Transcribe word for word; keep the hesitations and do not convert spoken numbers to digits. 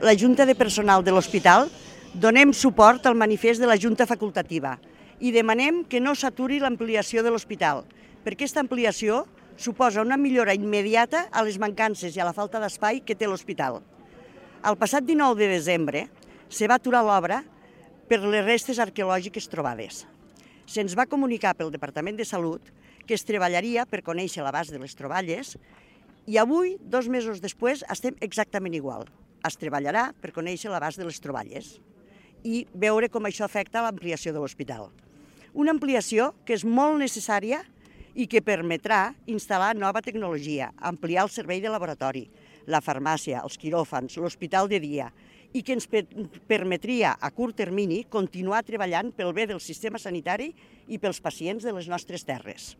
La Junta de Personal de l'Hospital donem suport al manifest de la Junta Facultativa i demanem que no s'aturi l'ampliació de l'hospital, perquè aquesta ampliació suposa una millora immediata a les mancances i a la falta d'espai que té l'hospital. El passat dinou de desembre se va aturar l'obra per les restes arqueològiques trobades. Se'ns va comunicar pel Departament de Salut que es treballaria per conèixer l'abast de les troballes i avui, dos mesos després, estem exactament igual. Es treballarà per conèixer l'abast de les troballes i veure com això afecta l'ampliació de l'hospital. Una ampliació que és molt necessària i que permetrà instal·lar nova tecnologia, ampliar el servei de laboratori, la farmàcia, els quiròfans, l'hospital de dia, i que ens permetria a curt termini continuar treballant pel bé del sistema sanitari i pels pacients de les nostres terres.